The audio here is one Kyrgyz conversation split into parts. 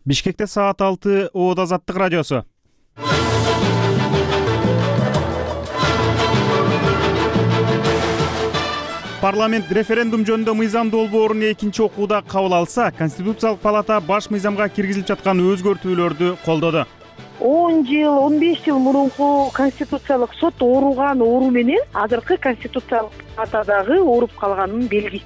Бишкекте саат 6 Оот Азаттык радиосу. Парламент референдум жөнүндө мыйзам долбоорун экинчи окууда кабыл алса, Конституциялык палата баш мыйзамга киргизилип жаткан өзгөртүүлөрдү колдоду. 10 жыл, 15 жыл мурунку Конституциялык сот ооруган оору менен азыркы Конституциялык палатадагы ооруп калганын белгиси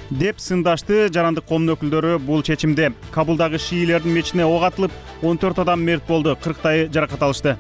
деп сындашты жарандык коомдун өкүлдөрү бул чечимде. Кабулдагы шиилердин мечитине ок атылып, 14 адам мерт болду, 40 жаракат алышты.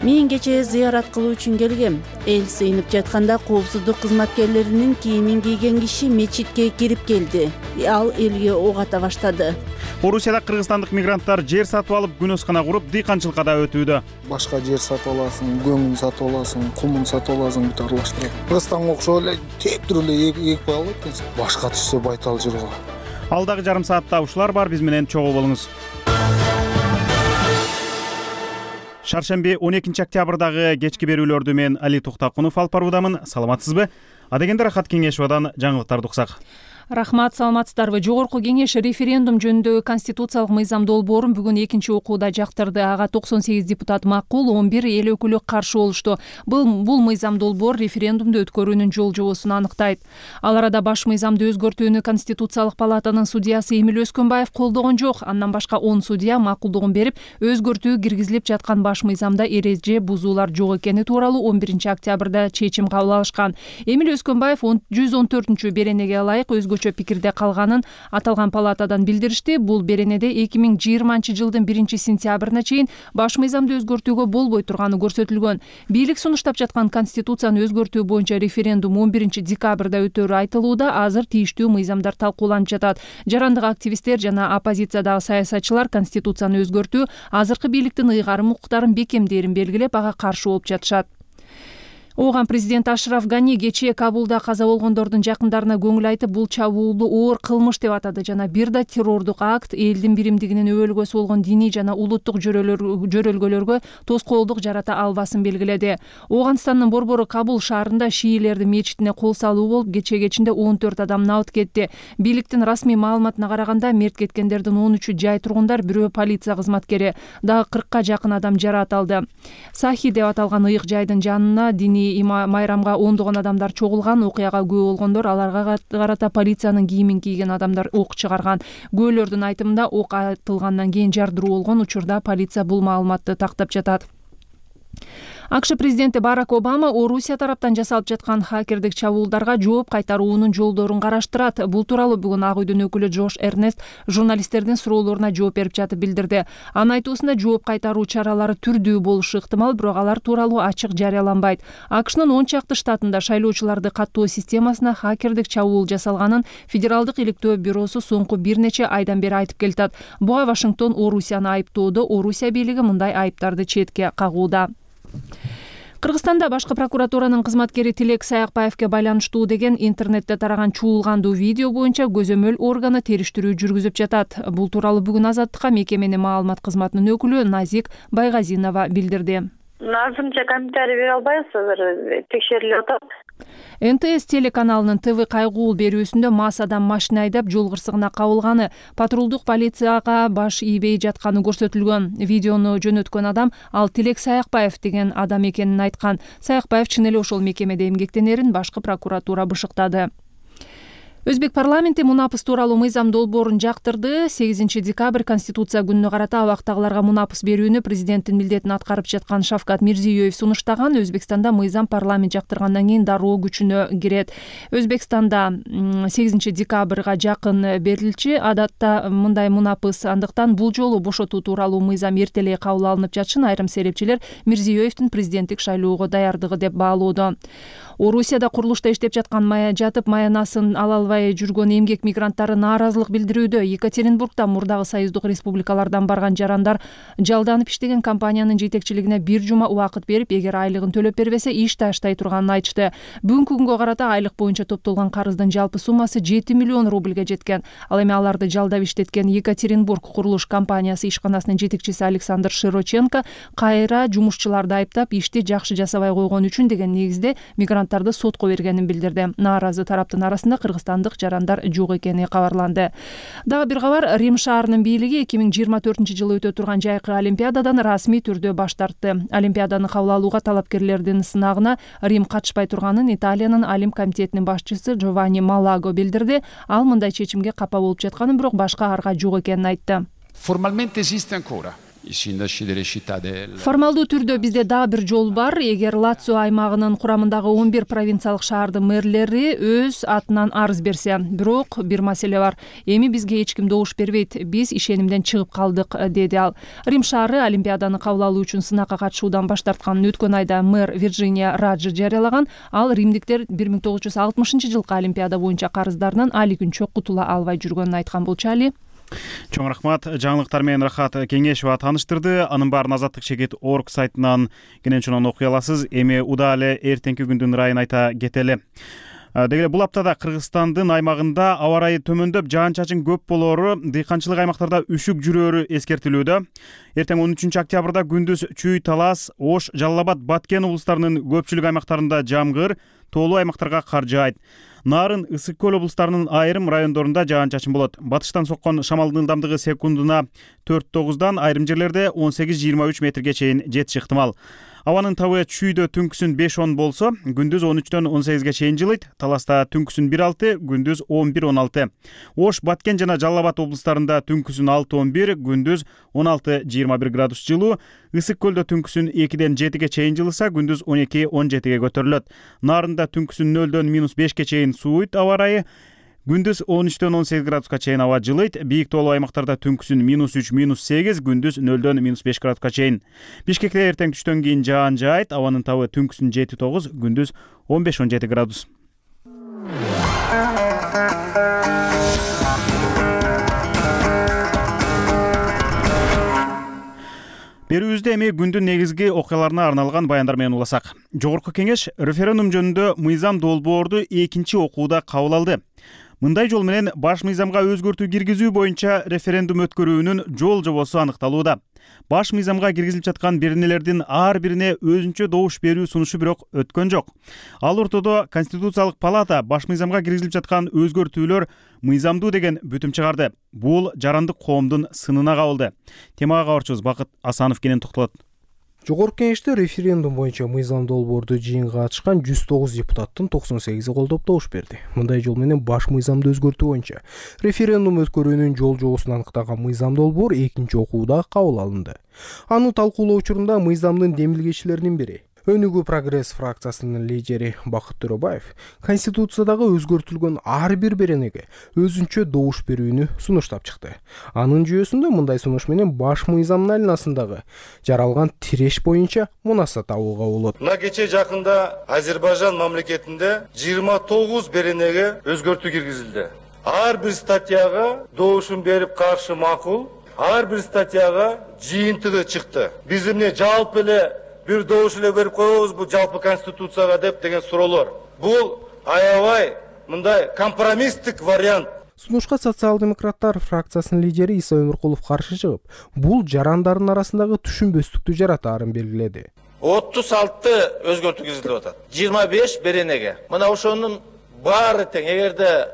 Мен кечээ зыярат кылуу үчүн келгем. Эл сыйынып жатканда коопсуздук кызматкерлеринин кийимин кийген киши мечитке кирип келди. Ал элге ок ата баштады. Орусияда кыргызстандык мигранттар жер сатып алып, күнөскана куруп, дыйканчылыкка да өтүүдө. Башка жер сатып аласың, көмүн сатып аласың, кумун сатып аласың, бүт аралаштырып. Кыргызстанга окшоп эле тептирип эле экип алып экенсиң. Башка түшсө байтал жырга. Алдагы жарым саатта ушулар бар, биз менен чогуу болуңуз. Шаршемби 12 октябрдагы кечки берүүлөрдү мен Али Туктакунов алып баруудамын. Саламатсызбы? Адегенде Рахат Кеңешовадан жаңылыктарды уксак. Рахмат, саламатсыздарбы? Жогорку кеңеш референдум жөнүндөгү конституциялык мыйзам долбоорун бүгүн экинчи окууда жактырды. Ага 98 депутат макул, 11 эл өкүлү каршы болушту. Бул мыйзам долбоор референдумду өткөрүүнүн жол жобосун аныктайт. Ал арада баш мыйзамды өзгөртүүнү Конституциялык палатанын судьясы Эмил Өскөнбаев колдогон жок. Андан башка 10 судья макулдугун берип, өзгөртүү киргизилип жаткан баш мыйзамда эреже бузуулар жок экени тууралуу 11 октябрда чечим кабыл алышкан. Эмил Өскөнбаев 114 беренеге ылайык өзгөчө пикирде калганын аталган палатадан билдиришти. Бул беренеде 2020 жылдын 1 сентябрына чейин баш мыйзамды өзгөртүүгө болбой турганы көрсөтүлгөн. Бийлик сунуштап жаткан конституцияны өзгөртүү боюнча референдум 11 декабрда өтөрү айтылууда. Азыр тийиштүү мыйзамдар талкууланып жатат. Жарандык активисттер жана оппозициядагы саясатчылар конституцияны өзгөртүү азыркы бийликтин ыйгарым укуктарын бекемдээрин белгилеп, ага каршы болуп жатышат. Ооган президент Ашраф Гани кечээ Кабулда каза болгондордун жакындарына көңүл айтып, бул чабуулду оор кылмыш деп атады жана бир да террордук акт, элдин биримдигинин өбөлгөсү болгон диний жана улуттук жөрөлгөлөргө тоскоолдук жарата албасын белгиледи. Ооганстандын борбору Кабул шаарында шиилердин мечитине кол салуу болуп, кечээ кечинде 14 адам набыт кетти. Бийликтин расмий маалыматына караганда, мерт кеткендердин 13-ü жай тургундар, бирөө полиция кызматкери. Дагы 40-ка жакын адам жараат алды. Сахи деп аталган ыйык жайдын жанына диний майрамга ондогон адамдар чогулган. Окуяга күбө болгондор аларга карата полициянын кийимин кийген адамдар ок чыгарган. Күбөлөрдүн айтымында, ок атылгандан кийин жардыруу болгон. Учурда полиция бул маалыматты тактап жатат. АКШ президенти Барак Обама Орусия тараптан жасалып жаткан хакердик чабуулдарга жооп кайтаруунун жолдорун караштырат. Бул тууралуу бүгүн Ак үйдүн өкүлү Джош Эрнест журналисттердин суроолоруна жооп берип жатып билдирди. Анын айтуусунда, жооп кайтаруу чаралары түрдүү болушу ыктымал, бирок алар тууралуу ачык жарыяланбайт. АКШнын 10 чакты штатында шайлоочуларды каттоо системасына хакердик чабуул жасалганын Федералдык иликтөө бюросу соңку бир нече айдан бери айтып келатат. Буга Вашингтон Орусияны айыптоодо, Орусия бийлиги мындай айыптарды четке кагууда. Кыргызстанда башкы прокуратуранын кызматкери Тилек Саякбаевге байланыштуу деген интернетте тараган чуулгандуу видео боюнча көзөмөл органы териштирүү жүргүзүп жатат. Бул тууралуу бүгүн Азаттыкка мекеменин маалымат кызматынын өкүлү Назик Байгазинова билдирди. Азырынча комментарий бере албайбыз, азыр текшерилип атат. НТС телеканалынын ТВ кайгуул берүүсүндө мас адам машина айдап жол кырсыгына кабылганы, патрулдук полицияга баш ийбей жатканы көрсөтүлгөн. Видеону жөнөткөн адам ал Тилек Саякбаев деген адам экенин айткан. Саякбаев чын эле ошол мекемеде эмгектенерин башкы прокуратура бышыктады. Өзбек парламенти мунапыс тууралуу мыйзам долбоорун жактырды. 8 декабрь Конституция күнүнө карата абактагыларга мунапыс берүүнү президенттин милдетин аткарып жаткан Шавкат Мирзиёев сунуштаган. Өзбекстанда мыйзам парламент жактыргандан кийин дароо күчүнө кирет. Өзбекстанда 8 декабрга жакын берилчү. Адатта мындай мунапыс, андыктан бул жолу бошотуу тууралуу мыйзам эртелей кабыл алынып жатышын айрым серепчилер Мирзиёевдин президенттик шайлоого даярдыгы деп баалоодо. Орусияда курулушта иштеп жатып маянасын ала албай жүргөн эмгек мигранттары нааразылык билдирүүдө. Екатеринбургда мурдагы союздук республикалардан барган жарандар жалданып иштеген компаниянын жетекчилигине бир жума убакыт берип, эгер айлыгын төлөп бербесе иш таштай турганын айтышты. Бүгүнкү күнгө карата айлык боюнча топтолгон карыздын жалпы суммасы 7 миллион рубльге жеткен. Ал эми аларды жалдап иштеткен Екатеринбург курулуш компаниясы ишканасынын жетекчиси Александр Широченко кайра жумушчуларды айыптап, ишти жакшы жасабай койгон үчүн деген негизде мигранттарды сотко бергенин билдирди. Нааразы тараптын арасында кыргызстандык мыйзамдык жарандар жок экени кабарланды. Дагы бир кабар, Рим шаарынын бийлиги 2024-жылы өтө турган жайкы олимпиададан расмий түрдө баш тартты. Олимпиаданы кабыл алууга талапкерлердин сынагына Рим катышпай турганын Италиянын Олимп комитетинин башчысы Джованни Малаго билдирди. Ал мындай чечимге капа болуп жатканын, бирок башка арга жок экенин айтты. Formalmente esiste ancora. I sindaci delle città del... Формалдуу түрдө бизде дагы бир жол бар. Эгер Лацио аймагынын курамындагы 11 провинциялык шаардын мэрлери өз атынан арыз берсе. Бирок бир маселе бар. Эми бизге эч ким добуш бербейт. Биз ишенимден чыгып калдык, деди ал. Рим шаары олимпиаданы кабыл алуу үчүн сынакка катышуудан баш тартканын өткөн айда мэр Вирджиния Раджи жарыялаган. Ал римдиктер 1960-жылкы олимпиада боюнча карыздарынан али күнчө кутула албай жүргөнүн айткан болчу. Али. Чоң рахмат. Жаңылыктар менен Рахат Кеңешова тааныштырды. Анын баарын Азаттык чекит орг сайтынан кенен окуй аласыз. Эми удаа эле эртеңки күндүн ырайын айта кетели. Деги бул аптада Кыргызстандын аймагында аба ырайы төмөндөп, жаан-чачын көп болоору, дыйканчылык аймактарда үшүк жүрөөрү эскертилүүдө. Эртең 13-октябрда күндүз Чүй, Талас, Ош, Жалал Абад, Баткен облустарынын көпчүлүк аймактарында жамгыр, тоолуу аймактарга кар жаайт. Нарын, Ысык көл облустарынын айрым райондорунда жаан-чачын болот. Батыштан соккон шамалдын ылдамдыгы секундуна 4-9, айрым жерлерде 18-23 метрге чейин жетиши ыктымал. Абанын табы Чүйдө түнкүсүн 5-10 болсо, күндүз 13-18 чейин жылыйт. Таласта түнкүсүн 1-6, күндүз 11-16. Ош, Баткен жана Жалал Абад облустарында түнкүсүн 6-11, күндүз 16-21 градус жылуу. Ысык көлдө түнкүсүн 2-7 чейин жылыса, күндүз 12-17 көтөрүлөт. Нарында түнкүсүн 0-5 чейин сууйт аба ырайы. Күндүз 13-18 градуска чейин аба жылыйт. Бийик тоолуу аймактарда түнкүсүн -3-8, күндүз 0-5 градуска чейин. Бишкекте эртең түштөн кийин жаан жаайт. Абанын табы түнкүсүн 7-9, күндүз 15-17 градус. Берүүбүздө эми күндүн негизги окуяларына арналган баяндар менен уласак. Жогорку кеңеш референдум жөнүндө мыйзам долбоорду экинчи окууда кабыл алды. Мындай жол менен баш мыйзамга өзгөртүү киргизүү боюнча референдум өткөрүүнүн жол жобосу аныкталууда. Баш мыйзамга киргизилип жаткан беренелердин ар бирине өзүнчө добуш берүү сунушу бирок өткөн жок. Ал ортодо Конституциялык палата баш мыйзамга киргизилип жаткан өзгөртүүлөр мыйзамдуу деген бүтүм чыгарды. Бул жарандык коомдун сынына кабылды. Темага кабарчыбыз Бакыт Асанов кенен токтолот. Жогорку кеңеште референдум боюнча мыйзам долбоорду жыйынга катышкан 109 депутаттын 98 колдоп добуш берди. Мындай жол менен баш мыйзамды өзгөртүү боюнча референдум өткөрүүнүн жол жобосун аныктаган мыйзам долбоор экинчи окууда кабыл алынды. Аны талкуулоо учурунда мыйзамдын демилгечилеринин бири, Өнүгүү прогресс фракциясынын лидери Бакыт Төрөбаев Конституциядагы өзгөртүлгөн ар бир беренеге өзүнчө добуш берүүнү сунуштап чыкты. Анын жүйөсүндө мындай сунуш менен баш мыйзамдын айланасындагы жаралган тиреш боюнча мунаса табууга болот. Мына кече жакында Азербайжан мамлекетинде 29 беренеге өзгөртүү киргизилди. Ар бир статьяга добушун берип каршы макул, ар бир статьяга жыйынтыгы чыкты. Биз эмне жалпы эле бир добуш эле берип коебузбу жалпы конституцияга деп деген суроолор. Бул аябай мындай компромисстик вариант. Сунушка социал-демократтар фракциясынын лидери Иса Өмүркулов каршы чыгып, бул жарандардын арасындагы түшүнбөстүктү жаратаарын белгиледи. 36 өзгөртүү киргизилип атат. 25 беренеге. Мына ошонун баары тең. Эгерде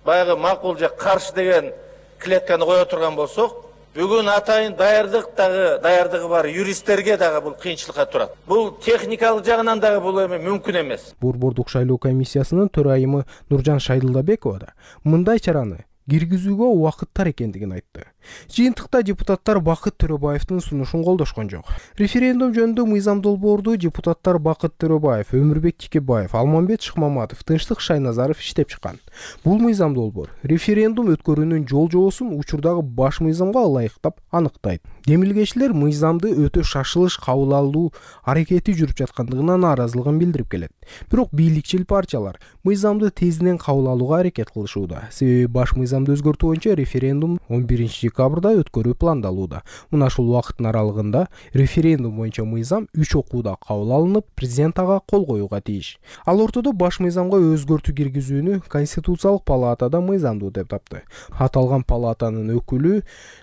баягы макул же каршы деген клетканы кое турган болсок, бүгүн атайын даярдыгы бар юристтерге дагы бул кыйынчылыкка турат. Бул техникалык жагынан дагы бул эми мүмкүн эмес. Борбордук шайлоо комиссиясынын төрайымы Нуржан Шайдылдабекова да мындай чараны киргизүүгө убакыттар экендигин айтты. Жыйынтыкта депутаттар Бакыт Төрөбаевдин сунушун колдошкон жок. Референдум жөнүндө мыйзам долбоорду депутаттар Бакыт Төрөбаев, Өмүрбек Тикебаев, Алмамбет Шыкмаматов, Тынчтык Шайназаров иштеп чыккан. Бул мыйзам долбоор референдум өткөрүүнүн жол жобосун учурдагы баш мыйзамга ылайыктап аныктайт. Демилгечилер мыйзамды өтө шашылыш кабыл алуу аракети жүрүп жаткандыгына нааразылыгын билдирип келет. Бирок бийликчил партиялар мыйзамды тезинен кабыл алууга аракет кылышууда. Себеби баш мыйзам мыйзамды өзгөртүү боюнча референдум 11-декабрда өткөрүү пландалууда. Мына ушул убакыттын аралыгында референдум боюнча мыйзам 3 окууда кабыл алынып, президент ага кол коюуга тийиш. Ал ортодо баш мыйзамга өзгөртүү киргизүүнү Конституциялык палатада мыйзамдуу деп тапты. Аталган палатанын өкүлү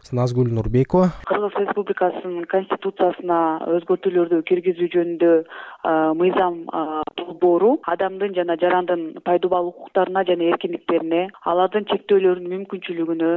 Назгүл Нурбекова Кыргыз Республикасынын конституциясына өзгөртүүлөрдү киргизүү жөнүндө мыйзам долбоору адамдын жана жарандын пайдубал укуктарына жана эркиндиктерине, алардын чектөөлөрүнүн мүмкүнчүлүгүнө,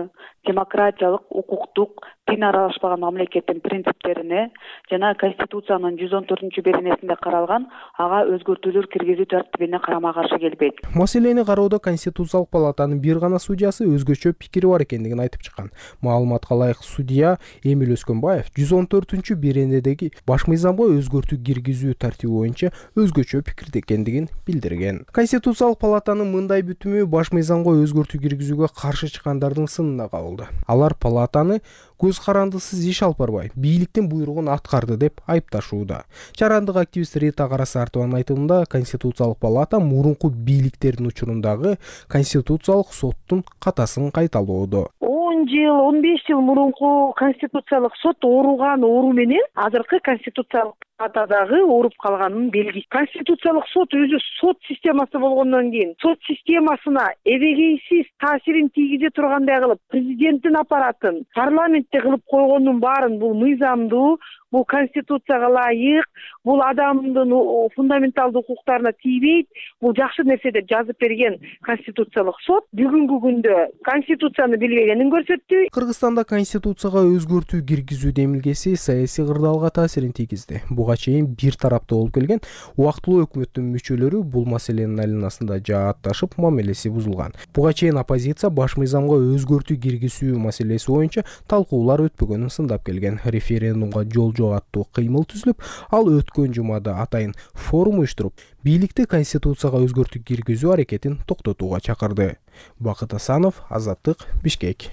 демократиялык, укуктук, тин аралашпаган мамлекеттин принциптерине жана Конституциянын 114-беренесинде каралган ага өзгөртүүлөр киргизүү тартибине карама каршы келбейт. Маселени кароодо Конституциялык палатанын бир гана судьясы өзгөчө пикири бар экендигин айтып чыккан. Маалыматка ылайык судья Эмиль Өскөнбаев 114-беренедеги баш мыйзамга өзгөртүү киргизүү тартиби боюнча өзгөчө пикирде экендигин билдирген. Конституциялык палатанын мындай бүтүмү баш мыйзамга өзгөртүү киргизүүгө каршы чыккандардын сынына кабылды. Алар палатаны көз карандысыз иш алып барбай, бийликтин буйругун аткарды деп айыпташууда. Жарандык активист Рита Карасартованын айтымында Конституциялык палата мурунку бийликтердин учурундагы Конституциялык соттун катасын кайталоодо. 10 жыл, 15 жыл мурунку Конституциялык сот ооруган оору менен азыркы Конституциялык палатадагы ооруп калганын белгиси. Конституциялык сот өзү сот системасы болгондон кийин сот системасына эбегейсиз таасирин тийгизе тургандай кылып, президенттин аппаратын парламентте кылып койгондун баарын бул мыйзамдуу, бул Конституцияга ылайык, бул адамдын фундаменталдуу укуктарына тийбейт, бул жакшы нерсе деп жазып берген Конституциялык сот бүгүнкү күндө Конституцияны билбегенин көрсөттү. Кыргызстанда Конституцияга өзгөртүү киргизүү демилгеси саясий кырдаалга таасирин тийгизди. Буга чейин бир тараптуу болуп келген убактылуу өкмөттүн мүчөлөрү бул маселенин айланасында жаатташып, мамилеси бузулган. Буга чейин оппозиция баш мыйзамга өзгөртүү киргизүү маселеси боюнча талкуулар өтпөгөнүн сындап келген. Референдумга жол аттуу кыймыл түзүлүп, ал өткөн жумада атайын форум уюштуруп, бийликти Конституцияга өзгөртүү киргизүү аракетин токтотууга чакырды. Бакыт Асанов, Азаттык, Бишкек.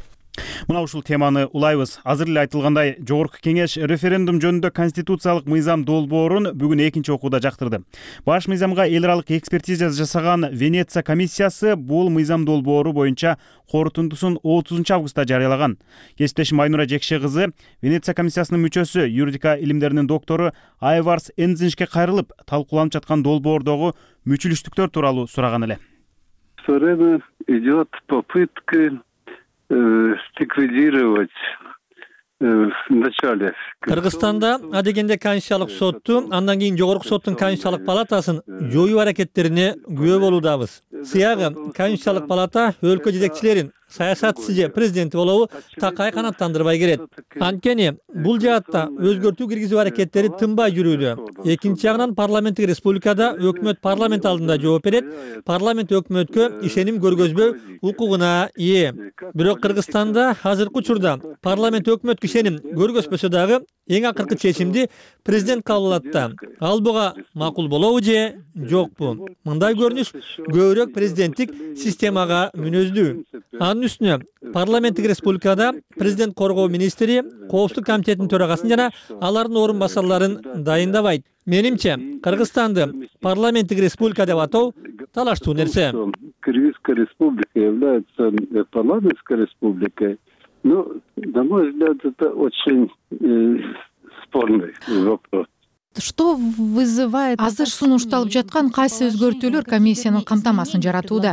Мына ушул теманы улайбыз. Азыр эле айтылгандай, Жогорку Кеңеш референдум жөнүндө конституциялык мыйзам долбоорун бүгүн экинчи окууда жактырды. Баш мыйзамга эл аралык экспертиза жасаган Венеция комиссиясы бул мыйзам долбоору боюнча корутундусун 30 августта жарыялаган. Кесиптешим Айнура Жекше кызы Венеция комиссиясынын мүчөсү, юридика илимдеринин доктору Айварс Энзиншке кайрылып, талкууланып жаткан долбоордогу мүчүлүштүктөр тууралуу сураган эле. Все время идет попытка ликвидировать в начале. Кыргызстанда адегенде Конституциялык сотту, андан кийин Жогорку соттун Конституциялык палатасын жоюу аракеттерине күбө болуудабыз. Сыягы Конституциялык палата өлкө жетекчилерин, саясатчысы же президенти болобу такай канаттандырбай келет. Анткени бул жаатта өзгөртүү киргизүү аракеттери тынбай жүрүүдө. Экинчи жагынан парламенттик республикада өкмөт парламент алдында жооп берет. Парламент өкмөткө ишеним көргөзбөө укугуна ээ. Бирок Кыргызстанда азыркы учурда парламент өкмөткө ишеним көргөзбөсө дагы эң акыркы чечимди президент кабыл алат да. Ал буга макул болобу же жокпу? Мындай көрүнүш көбүрөөк президенттик системага мүнөздүү. Анын үстүнө парламенттик республикада президент коргоо министри, коопсуздук комитетинин төрагасын жана алардын орун басарларын дайындабайт. Менимче, Кыргызстанды парламенттик республика деп атоо талаштуу нерсе. Кыргызская республика является парламентской республикой. Ну, на мой взгляд, это очень спорный вопрос. Что вызывает азыр сунушталып жаткан кайсы өзгөртүүлөр комиссиянын камтамасын жаратууда?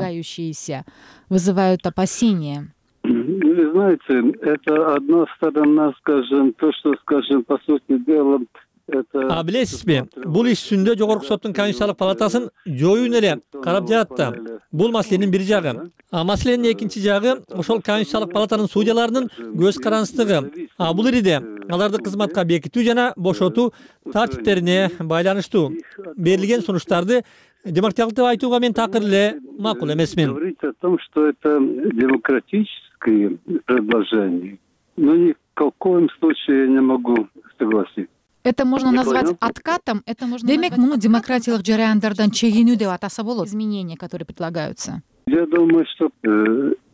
Вызывают опасения. Вы знаете, это одна сторона, скажем, то, что, скажем, по сути дела, А билесизби, бул иш үстүндө Жогорку соттун Конституциялык палатасын жоюун эле карап жатты. Бул маселенин бир жагы. А маселенин экинчи жагы ошол Конституциялык палатанын судьяларынын көз карандысыздыгы. А бул ириде аларды кызматка бекитүү жана бошотуу тартиптерине байланыштуу. Берилген сунуштарды демократиялык деп айтууга мен такыр эле макул эмесмин. Говорить о том, что это демократическое предложение, но ни в коем случае я не могу согласиться. Это можно назвать откатом, демек муну демократиялык жараяндардан чегинүү деп атаса болот. Изменения, которые предлагаются. Я думаю, что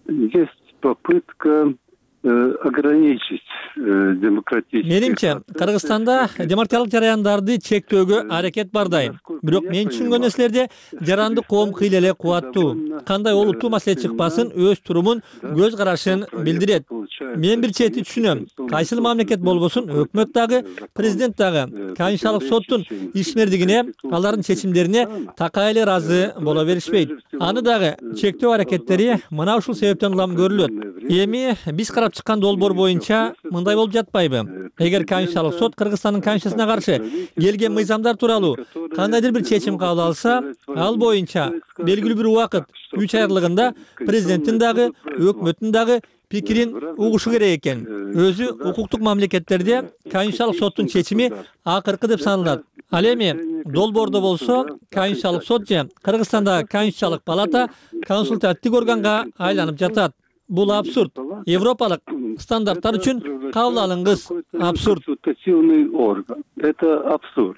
есть попытка ограничить Менимче, Кыргызстанда демократиялык жараяндарды чектөөгө аракет бардайым. Бирок мен түшүнгөн нерселерде жаранды коом кыйла эле кубаттуу. Кандай олуттуу маселе чыкпасын, өз турумун, көз карашын билдирет. Мен бир чети түшүнөм. Кайсыл мамлекет болбосун, өкмөт дагы, президент дагы Конституциялык соттун ишмердигине, алардын чечимдерине такай эле ыраазы боло беришпейт. Аны дагы чектөө аракеттери мына ушул себептен улам көрүлөт. Эми биз карап чыккан долбоор боюнча мындай болуп жатпайбы? Эгер Конституциялык сот Кыргызстандын Конституциясына каршы келген мыйзамдар тууралуу кандайдыр бир чечим кабыл алса, ал боюнча белгилүү бир убакыт 3 ай аралыгында президенттин дагы, өкмөттүн дагы пикирин угушу керек экен. Өзү укуктук мамлекеттерде Конституциялык соттун чечими акыркы деп саналат. Ал эми долбоордо болсо Конституциялык сот же Кыргызстандагы Конституциялык палата консультативдик органга айланып жатат. Бул абсурд. Европалык стандарттар үчүн кабыл алынгыс абсурд. Это абсурд.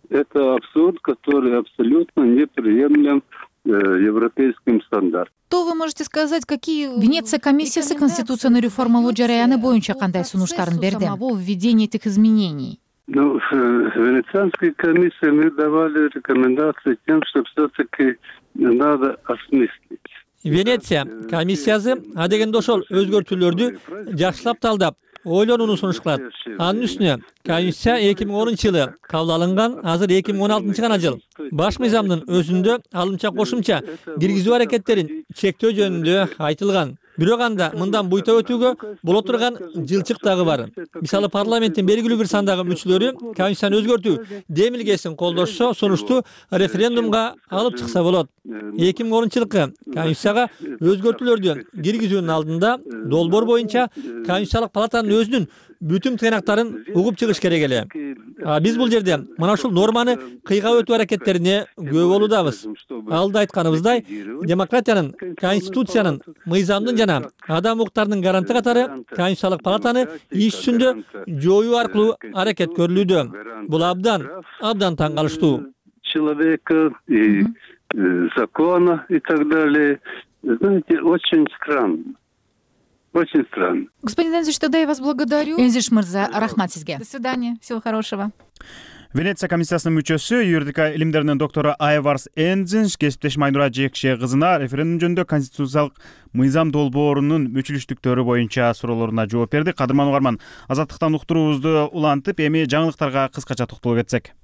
Это абсурд, который абсолютно неприемлем европейским стандартам. Что вы можете сказать, какие Венеция комиссиясы конституцияны реформалоо жараяны боюнча кандай сунуштарын берди? Самого введения этих изменений. Венецианской комиссии мы давали рекомендации тем, что все-таки надо осмыслить. Венеция комиссиясы адегенде ошол өзгөртүүлөрдү жакшылап талдап, ойлонууну сунуш кылат. Анын үстүнө Конституция 2010 жылы кабыл алынган, азыр 2016 гана жыл. Баш мыйзамдын өзүндө алымча кошумча киргизүү аракеттерин чектөө жөнүндө айтылган. Бирок анда мындан буйта өтүүгө боло турган жылчык дагы бар. Мисалы парламенттин белгилүү бир сандагы мүчөлөрү Конституцияны өзгөртүү демилгесин колдошсо, сунушту референдумга алып чыкса болот. 2010 жылкы Конституцияга өзгөртүүлөрдү киргизүүнүн алдында долбоор боюнча Конституциялык палатанын өзүнүн бүтүн тыйнактарын угуп чыгыш керек эле. Биз бул жерде мына ушул норманы кыйгап өтүү аракеттерине күбө болуудабыз. Алда айтканыбыздай, демократиянын, конституциянын, мыйзамдын жана адам укуктарынын гаранты катары Конституциялык палатаны иш жүзүндө жоюу аркылуу аракет көрүлүүдө. Бул абдан таң калыштуу. Человека и закона и так далее. Знаете, очень странно. Очень странно. Господин Энзиш, тогда я вас благодарю. Энзиш мырза, рахмат сизге. До свидания. Всего хорошего. Венеция комиссиясынын мүчөсү, юридика илимдеринин доктору Айварс Энзиш кесиптешим Айнура Жекше кызына референдум жөнүндө конституциялык мыйзам долбоорунун мүчүлүштүктөрү боюнча суроолоруна жооп берди. Кадырман угарман, азаттыктан уктуруубузду улантып, эми жаңылыктарга кыскача токтолуп кетсек.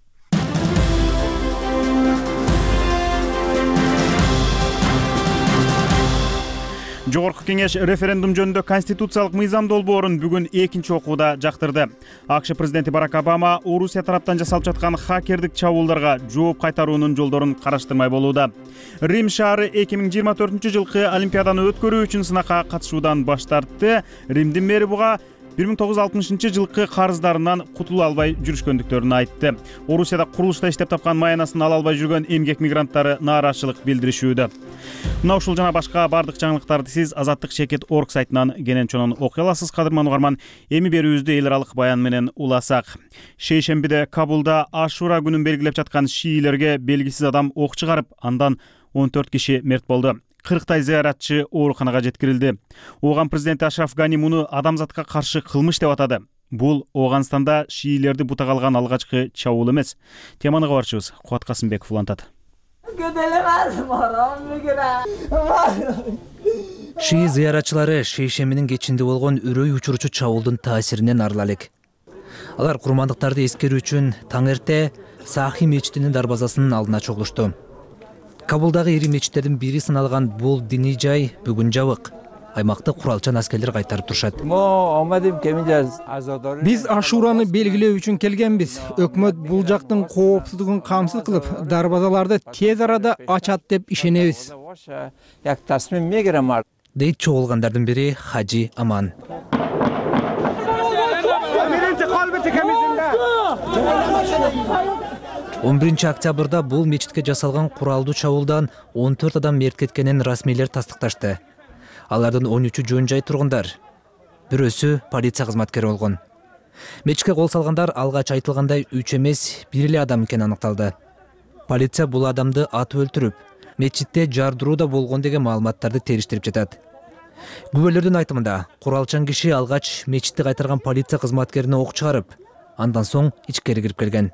Жогорку кеңеш референдум жөнүндө конституциялык мыйзам долбоорун бүгүн экинчи окууда жактырды. АКШ президенти Барак Обама Орусия тараптан жасалып жаткан хакердик чабуулдарга жооп кайтаруунун жолдорун караштырмай болууда. Рим шаары 2024 жылкы Олимпиаданы өткөрүү үчүн сынакка катышуудан баш тартты. Римдин мэри буга 1960 жылкы карыздарынан кутула албай жүрүшкөндүктөрүн айтты. Орусияда курулушта иштеп тапкан маянасын ала албай жүргөн эмгек мигранттары нааразычылык билдиришүүдө. Мына ушул жана башка бардык жаңылыктарды сиз azattik.org сайтынан кенен чонун окуй аласыз. Кадырман угарман, эми берүүбүздү эл аралык баян менен уласак. Шейшембиде Кабулда Ашура күнүн белгилеп жаткан шиилерге белгисиз адам ок чыгарып, андан 14 киши мерт болду. 40 зыяратчы ооруканага жеткирилди. Ооган президенти Ашраф Гани муну адамзатка каршы кылмыш деп атады. Бул Ооганстанда шиилерди бутага алган алгачкы чабуул эмес. Теманы кабарчыбыз Кубат Касымбеков улантат. Шии зыяратчылары шейшембинин кечинде болгон үрөй учуручу чабуулдун таасиринен арыла элек. Алар курмандыктарды эскерүү үчүн таң эрте Сахи мечитинин дарбазасынын алдына чогулушту. Кабулдагы ири мечиттердин бири саналган бул диний жай бүгүн жабык. Аймакты куралчан аскерлер кайтарып турушат. Биз Ашураны белгилөө үчүн келгенбиз. Өкмөт бул жактын коопсуздугун камсыз кылып, дарбазаларды тез арада ачат деп ишенебиз. Дейт чогулгандардын бири Хажи Аман. 11 октябрда бул мечитке жасалган куралдуу чабуулдан 14 адам мерт кеткенин расмийлер тастыкташты. Алардын 13-ü жөн жай тургундар. Бирөөсү полиция кызматкери болгон. Мечитке кол салгандар алгач айтылгандай 3 эмес, 1 эле адам экени аныкталды. Полиция бул адамды атып өлтүрүп, мечитте жардыруу да болгон деген маалыматтарды териштирип жатат. Күбөлөрдүн айтымында куралчан киши алгач мечитти кайтарган полиция кызматкерине ок чыгарып, андан соң ичкери кирип келген.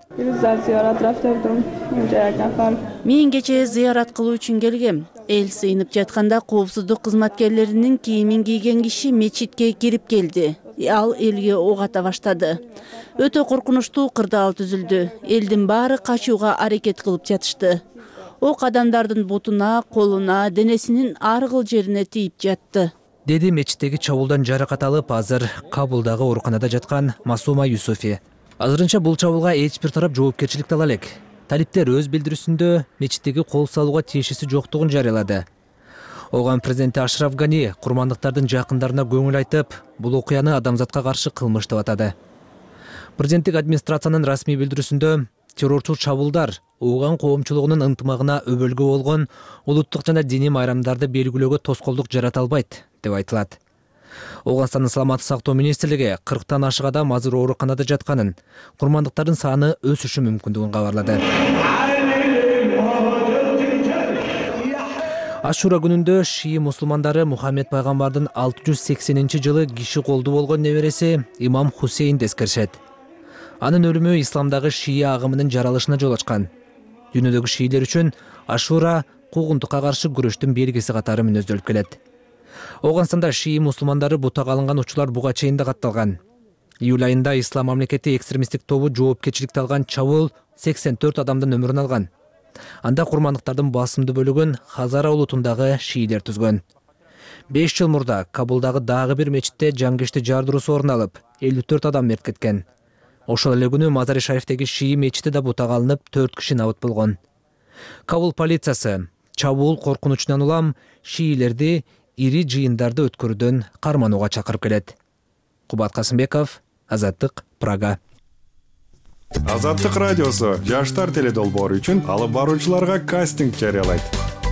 Мен кечээ зыярат кылуу үчүн келгем. Эл сыйынып жатканда коопсуздук кызматкерлеринин кийимин кийген киши мечитке кирип келди. Ал элге ок ата баштады. Өтө коркунучтуу кырдаал түзүлдү. Элдин баары качууга аракет кылып жатышты. Ок адамдардын бутуна, колуна, денесинин ар кыл жерине тийип жатты. Деди мечиттеги чабуулдан жаракат алып, азыр Кабулдагы ооруканада жаткан Масума Юсуфи. Азырынча бул чабуулга эч бир тарап жоопкерчиликти ала элек. Талиптер өз билдирүүсүндө мечиттеги кол салууга тиешеси жоктугун жарыялады. Оган президенти Ашраф Гани курмандыктардын жакындарына көңүл айтып, бул окуяны адамзатка каршы кылмыш деп атады. Президенттик администрациянын расмий билдирүүсүндө террорчул чабуулдар Оган коомчулугунун ынтымагына өбөлгө болгон улуттук жана диний майрамдарды белгилөөгө тоскоолдук жарата албайт деп айтылат. Оганстандын саламаттык сактоо министрлиги 40тан ашык адам азыр ооруканада жатканын, курмандыктардын саны өсүшү мүмкүндүгүн кабарлады. Ашура күнүндө шии мусулмандары Мухаммед пайгамбардын 680-жылы киши колду болгон небереси имам Хусейнди эскеришет. Анын өлүмү исламдагы шии агымынын жаралышына жол ачкан. Дүйнөдөгү шиилер үчүн Ашура куугунтукка каршы күрөштүн белгиси катары мүнөздөлүп келет. Оганстанда шии мусулмандары бутага алынган учурлар буга чейин да катталган. Июль айында Ислам мамлекети экстремисттик тобу жоопкерчиликти алган чабуул 84 адамдын өмүрүн алган. Анда курмандыктардын басымдуу бөлүгүн Хазара улутундагы шиилер түзгөн. 5 жыл мурда Кабулдагы дагы бир мечитте жангешти жардыруусу орун алып, 54 адам мерт кеткен. Ошол эле күнү Мазари Шарифтеги шии мечити да бутага алынып, 4 киши набыт болгон. Кабул полициясы чабуул коркунучунан улам шиилерди ири жыйындарды өткөрүүдөн карманууга чакырып келет. Кубат Касымбеков, Азаттык, Прага. Азаттык радиосу жаштар теледолбоору үчүн алып баруучуларга кастинг жарыялайт.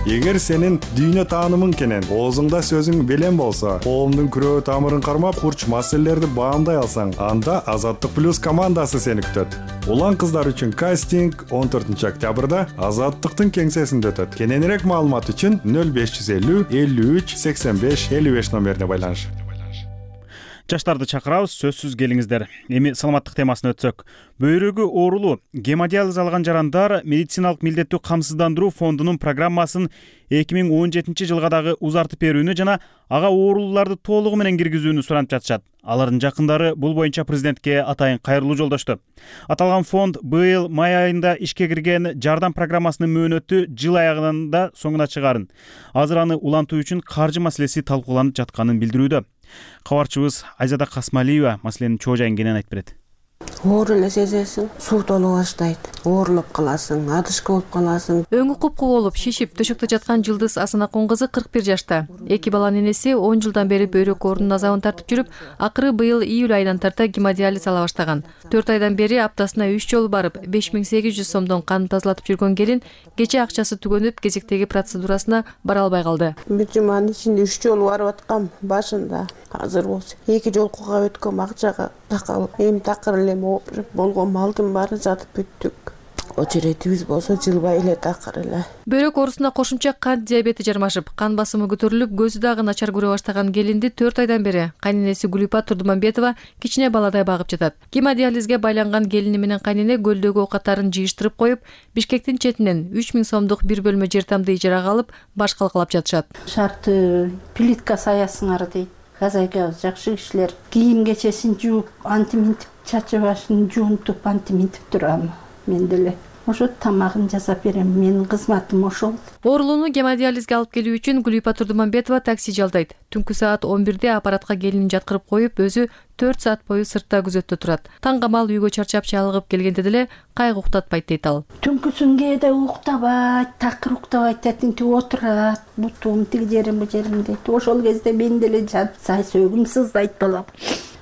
Эгер сенин дүйнө таанымың кенен оозуңда сөзүң белем болсо, коомдун күрөө тамырын кармап, курч маселелерди баамдай алсаң, анда Азаттык плюс командасы сени күтөт. Улан кыздар үчүн кастинг 14 октябрда Азаттыктын кеңсесинде өтөт. Кененирээк маалымат үчүн 0550 53 85 55 номерине байланыш. Жаштарды чакырабыз, сөзсүз келиңиздер. Эми саламаттык темасына өтсөк. Бөйрөгү оорулуу, гемодиализ алган жарандар медициналык милдеттүү камсыздандыруу фондунун программасын 2017 жылга дагы узартып берүүнү жана ага оорулууларды толугу менен киргизүүнү суранып жатышат. Алардын жакындары бул боюнча президентке атайын кайрылуу жолдошту. Аталган фонд быйыл май айында ишке кирген жардам программасынын мөөнөтү жыл аягында соңуна чыгарын. Азыр аны улантуу үчүн каржы маселеси талкууланып жатканын билдирүүдө. Кабарчыбыз Айзада Касмалиева маселенин чоо жайын кенен айтып берет. Оор эле сезесиң, суу толо баштайт, оорулуп каласың, адышка болуп каласың. Өңү куп-куу болуп, шишип, төшөктө жаткан Жылдыз Асанакун кызы 41 жашта. 2 баланын энеси 10 жылдан бери бөйрөк оорунун азабын тартып жүрүп, акыры быйыл июль айынан тарта гемодиализ ала баштаган. 4 айдан бери аптасына 3 жолу барып, 5800 сомдон кан тазалатып жүргөн келин кече акчасы түгөнүп, кезектеги процедурасына бара албай калды. Бир жуманын ичинде 3 жолу барып аткам, башында. Азыр болсо 2 жолкуга өткөм акчага такалып, эми такыр эле болгон малдын баары сатып бүттүк. Очередибиз болсо жылбай эле такыр эле. Бөйрөк оорусуна кошумча кант диабети жармашып, кан басымы көтөрүлүп, көзү дагы начар көрө баштаган келинди 4 айдан бери кайненеси Гүлипа Турдуманбетова кичине баладай багып жатат. Гемодиализге байланган келини менен кайнене көлдөгү оокаттарын жыйыштырып коюп, Бишкектин четинен 3000 сомдук бир бөлмө жер тамды ижарага алып, баш калкалап жатышат. Шарты плитка саясыңар дейт. Казайкабыз жакшы кишилер кийим кечесин жууп, антиминтип, чачы башын жуунтуп, антиминтип турам. Мен деле ошо тамагын жасап берем. Менин кызматым ошол. Оорулууну гемодиализге алып келүү үчүн Гүлипа Турдуманбетова такси жалдайт. Түнкү саат 11-де аппаратка келинин жаткырып коюп, өзү 4 саат бою сыртта күзөттө турат. Таң камал үйгө чарчап чалыгып келгенде деле кайгы уктатпайт дейт ал. Түнкүсүн кээде уктабайт, такыр уктабайт, тетинтип отурат, бутум тиги жерим бу жерим дейт. Ошол кезде мен деле сай сөөгүм сыздайт балам.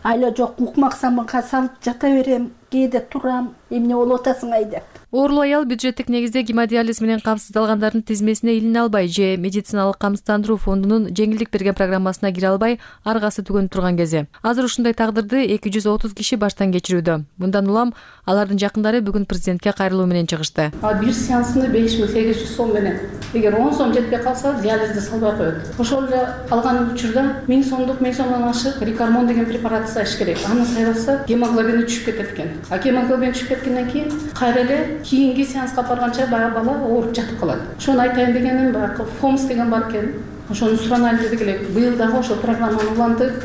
Айла жок, укмак самынга салып жата берем. кээде турам, эмне болуп атасың деп. Оорул аял бюджеттик негизде гемодиализ менен камсыздалгандардын тизмесине илине албай же медициналык камсыздандыруу фондунун жеңилдик берген программасына кире албай аргасы түгөнүп турган кези. Азыр ушундай тагдырды 230 киши баштан кечирүүдө. Мындан улам алардын жакындары бүгүн президентке кайрылуу менен чыгышты. Бир сеансында 5800 сом менен. Эгер 10 сом жетпей калса, диализди салбай коет. Ошол эле калган учурда 1000 сомдук, 1000 сомдон ашык рикармон деген препарат сайыш керек. Аны сайбаса, гемоглобини түшүп кетет экен. А гемоглобин түшүп кеткенден кийин кайра эле кийинки сеанска барганча баягы бала ооруп жатып калат. Ошону айтайын дегеним, баягы ФОМС деген бар экен. Ошону суранайлы дедик эле. Быйыл дагы ошол программаны улантып,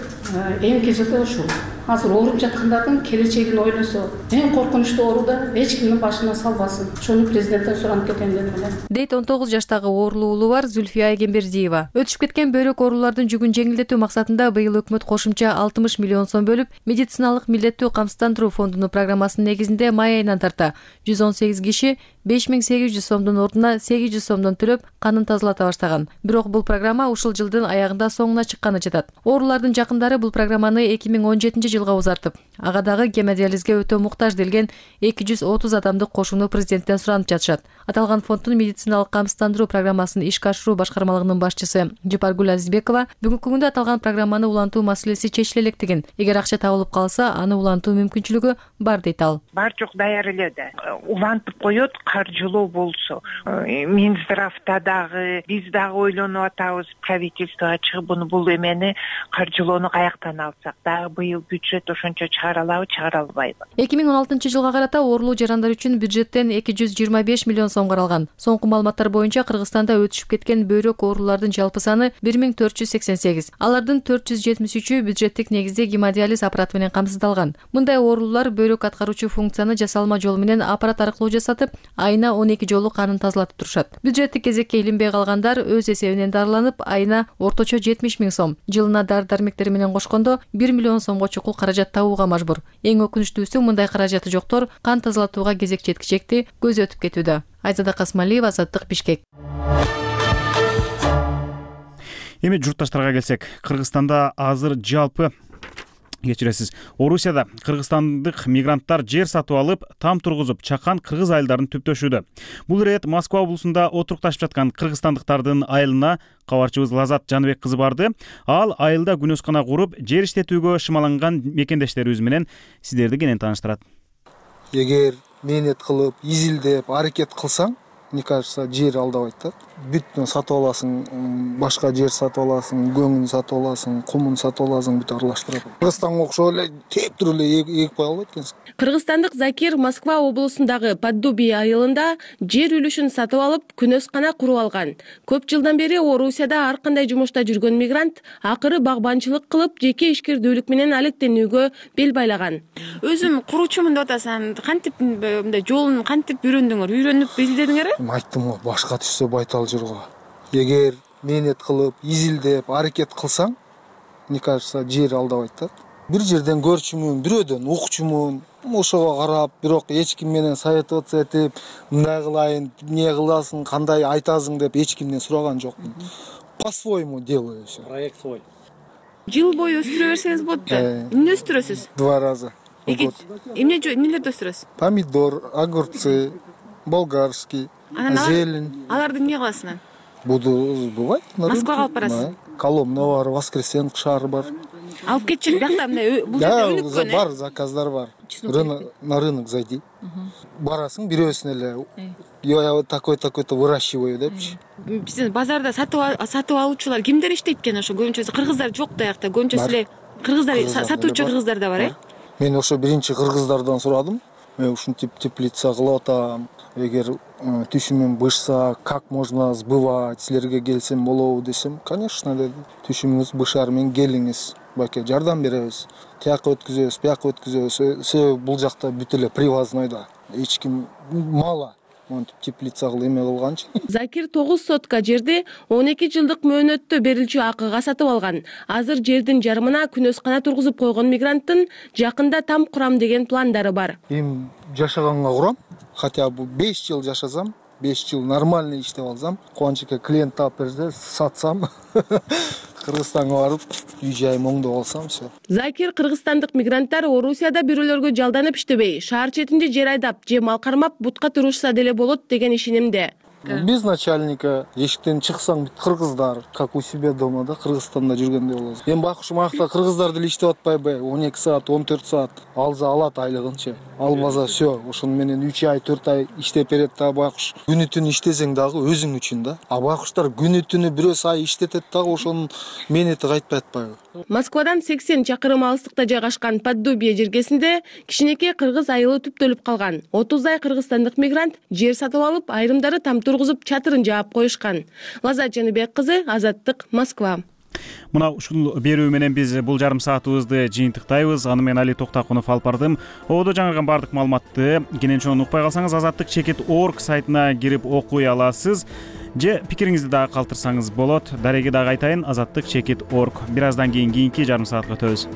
эмки жылда ушул азыр ооруп жаткандардын келечегин ойлосо, эң коркунучтуу ооруда эч кимдин башына салбасын. Ошону президенттен суранып кетем дедим эле. Дейт 19 жаштагы оорулуу уулу бар Зүлфия Эгембердиева. Өтүшүп кеткен бөйрөк оорулардын жүгүн жеңилдетүү максатында быйыл өкмөт кошумча 60 миллион сом бөлүп, медициналык милдеттүү камсыздандыруу фондунун программасынын негизинде май айынан тарта 118 киши 5800 сомдун ордуна 800 сомдон төлөп канын тазалата баштаган. Бирок бул программа ушул жылдын аягында соңуна чыкканы жатат. Оорулардын жакындары бул программаны 2017-жылга узартып, ага дагы гемодиализге өтө муктаж делген 230 адамдык кошууну президенттен суранып жатышат. Аталган фонддун медициналык камсыздандыруу программасын ишке ашыруу башкармалыгынын башчысы Жапаргүл Азизбекова бүгүнкү күндө аталган программаны улантуу маселеси чечиле электигин, эгер акча табылып калса, аны улантуу мүмкүнчүлүгү бар дейт ал. Бар жок даяр эле да. Улантып коет, каржылоо болсо. Минздравда дагы, биз дагы ойлонуп атабыз, правительствого чыгып бул эмени каржылоону каяктан алсак, дагы быйыл бюджет ошончо чыгара алабы, чыгара албайбы. 2016-жылга карата оорулуу жарандар үчүн бюджеттен 225 миллион сом каралган. Соңку маалыматтар боюнча Кыргызстанда өтүшүп кеткен бөйрөк оорулардын жалпы саны 1488. Алардын 473-ü бюджеттик негизде гемодиализ аппараты менен камсыздалган. Мындай оорулуулар бөйрөк аткаруучу функцияны жасалма жол менен аппарат аркылуу жасатып, айына 12 жолу канын тазалатып турушат. Бюджеттик кезекке илинбей калгандар өз эсебинен дарыланып, айына орточо 70 000 сом, жылына дары-дармектери менен кошкондо 1 миллион сомго чукул каражат табууга мажбур. Эң өкүнүчтүүсү, мындай каражаты жоктор кан тазалатууга кезек жеткичекти көзү өтүп кетүүдө. Айзада Касмалиева, Азаттык, Бишкек. Эми журтташтарга келсек, Кыргызстанда азыр жалпы кечиресиз, Орусияда кыргызстандык мигранттар жер сатып алып, там тургузуп, чакан кыргыз айылдарын түптөшүүдө. Бул ирет Москва облусунда отурукташып жаткан кыргызстандыктардын айылына кабарчыбыз Лазат Жаныбек кызы барды. Ал айылда күнөскана куруп, жер иштетүүгө шымаланган мекендештерибиз менен сиздерди кенен тааныштырат. Эгер мээнет кылып, изилдеп, аракет кылсаң, мне кажется, жер алдабайт да. Бүт сатып аласың, башка жер сатып аласың, көңүн сатып аласың, кумун сатып аласың, бүт аралаштырып. Кыргызстанга окшоп эле тептир эле эгип кое албайт экенсиң. Кыргызстандык Закир Москва облусундагы Поддубий айылында жер үлүшүн сатып алып, күнөскана куруп алган. Көп жылдан бери Орусияда ар кандай жумушта жүргөн мигрант акыры багбанчылык кылып, жеке ишкердүүлүк менен алектенүүгө бел байлаган. Өзүм куруучумун деп атасың, кантип мындай жолун кантип үйрөндүңөр? Үйрөнүп изледиңерби? Айттым го, башка түшсө байтал жүргө. Эгер мээнет кылып, изилдеп, аракет кылсаң, мне кажется, жер алдабайт да. Бир жерден көрчүмүн, бирөөдөн укчумун, ошого карап, бирок эч ким менен советоваться этип, мындай кылайын, эмне кыласың, кандай айтасың деп эч кимден сураган жокмун. По-своему делаю всё. Проект свой. Жыл бою өстүрө берсеңиз болот да. Эмне өстүрөсүз? 2 раза. Эмнелерди өстүрөсүз? Помидор, огурцы, болгарский, зелень. Аларды эмне кыласың? Буду бывает. Москвага алып барасыз? Коломна бар, Воскресенск шаары бар. Алып кетчи, биякта мындай бул жерде өнүккөн. Бар, заказдар бар. На рынок зайди. Барасың, бирөөсүн эле. Я такой-то выращиваю депчи. Биздин базарда сатып алуучулар кимдер иштейт экен? Ошо көбүнчөсү кыргыздар жок да аякта. Көбүнчөсү эле кыргыздар, сатуучу кыргыздар да бар, э? Мен ошо биринчи кыргыздардан сурадым. Мен ушинтип теплица кылып атам. Эгер түшүмүм бышса, как можно сбывать, силерге келсем болобу десем, конечно деди. Түшүмүңүз бышар, мен келиңиз, баке жардам беребиз. Тияка өткүзөбүз, бияка өткүзөбүз. Себеби бул жакта бүт эле привозной да. Эч ким мало. Монтип теплица кылып эме кылганчы. Закир 9 сотка жерди 12 жылдык мөөнөттө берилчү акыга сатып алган. Азыр жердин жарымына күнөскана тургузуп койгон мигранттын жакында там курам деген пландары бар. Эми жашаганга курам, хотя бы 5 жыл жашасам, 5 жыл нормально иштеп алсам, Кубанычке клиент таап берсе, сатсам, Кыргызстанга барып, үй жайым оңдоп алсам, все. Закир кыргызстандык мигранттар Орусияда бирөөлөргө жалданып иштебей, шаар четинде жер айдап же мал кармап бутка турушса деле болот деген ишенимде. Без начальника эшиктен чыксаң бүт кыргыздар, как у себя дома да, Кыргызстанда жүргөндөй болосуң. Эми бакушум акта кыргыздар деле иштеп атпайбы? 12 саат, 14 саат алса алат айлыгынчы. Албаса все, ошону менен 3 ай, 4 ай иштеп берет да бакуш. Күнү түнү иштесең дагы өзүң үчүн да. А бакуштар күнү түнү бирөөс ай иштетет дагы ошонун менети кайтпай атпайбы? Москвадан 80 чакырым алыстыкта жайгашкан Поддубие жергесинде кичинекей кыргыз айылы түптөлүп калган. 30 кыргызстандык мигрант жер сатып алып, айрымдары там тургузуп чатырын жаап коюшкан. Лазат Жаныбек кызы, Азаттык, Москва. Мына ушул берүү менен биз бул жарым саатыбызды жыйынтыктайбыз. Аны мен Али Токтакунов алып бардым. Ободо жаңырган бардык маалыматты кенен чоң укпай калсаңыз azattik.org сайтына кирип окуй аласыз. Же пикириңизди дагы калтырсаңыз болот. Дареги дагы айтайын, azattik.org. Бир аздан кийин кийинки жарым саатка өтөбүз.